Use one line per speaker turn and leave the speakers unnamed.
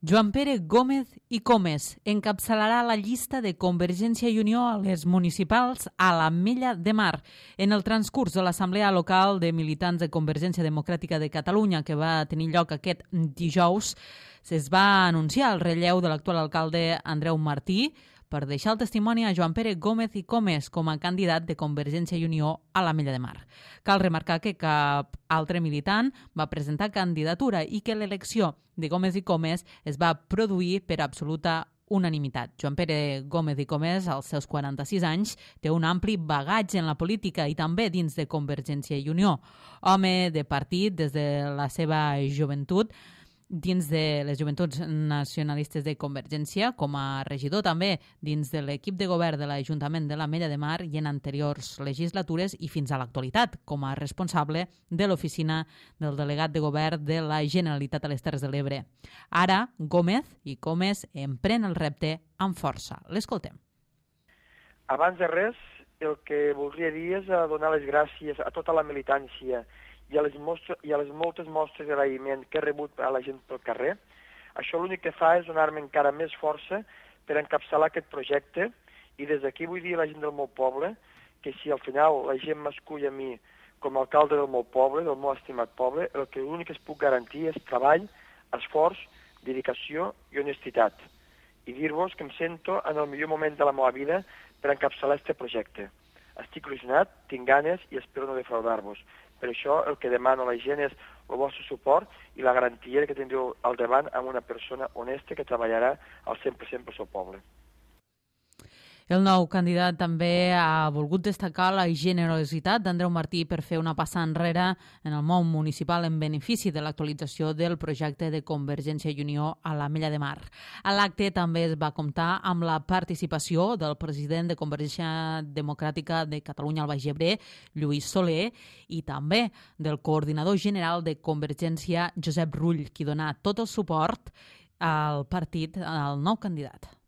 Joan Pere Gómez i Comes encapçalarà la llista de Convergència i Unió a les municipals a l'Ametlla de Mar. En el transcurs de l'Assemblea Local de Militants de Convergència Democràtica de Catalunya, que va tenir lloc aquest dijous, es va anunciar el relleu de l'actual alcalde Andreu Martí per deixar el testimoni a Joan Pere Gómez i Comes com a candidat de Convergència i Unió a l'Ametlla de Mar. Cal remarcar que cap altre militant va presentar candidatura i que l'elecció de Gómez i Comes es va produir per absoluta unanimitat. Joan Pere Gómez i Comes, als seus 46 anys, té un ampli bagatge en la política i també dins de Convergència i Unió. Home de partit des de la seva joventut, dins de les Joventuts Nacionalistes de Convergència, com a regidor també dins de l'equip de govern de l'Ajuntament de l'Ametlla de Mar i en anteriors legislatures i fins a l'actualitat, com a responsable de l'oficina del delegat de govern de la Generalitat a les Terres de l'Ebre. Ara, Gómez i Comes empren el repte amb força. L'escoltem.
Abans de res, el que voldria dir és donar les gràcies a tota la militància i a les moltes mostres d'agraïment que he rebut a la gent pel carrer. Això l'únic que fa és donar-me encara més força per encapçalar aquest projecte i des d'aquí vull dir a la gent del meu poble que si al final la gent m'escull a mi com a alcalde del meu poble, del meu estimat poble, el que l'únic que es puc garantir és treball, esforç, dedicació i honestitat. I dir-vos que em sento en el millor moment de la meva vida per encapçalar aquest projecte. Estic il·lusionat, tinc ganes i espero no defraudar-vos. Per això el que demano a la gent és el vostre suport i la garantia que tindreu al davant amb una persona honesta que treballarà al 100% pel seu poble.
El nou candidat també ha volgut destacar la generositat d'Andreu Martí per fer una passa enrere en el món municipal en benefici de l'actualització del projecte de Convergència i Unió a l'Ametlla de Mar. A l'acte també es va comptar amb la participació del president de Convergència Democràtica de Catalunya al Baix Ebre, Lluís Soler, i també del coordinador general de Convergència, Josep Rull, qui donà tot el suport al partit, al nou candidat.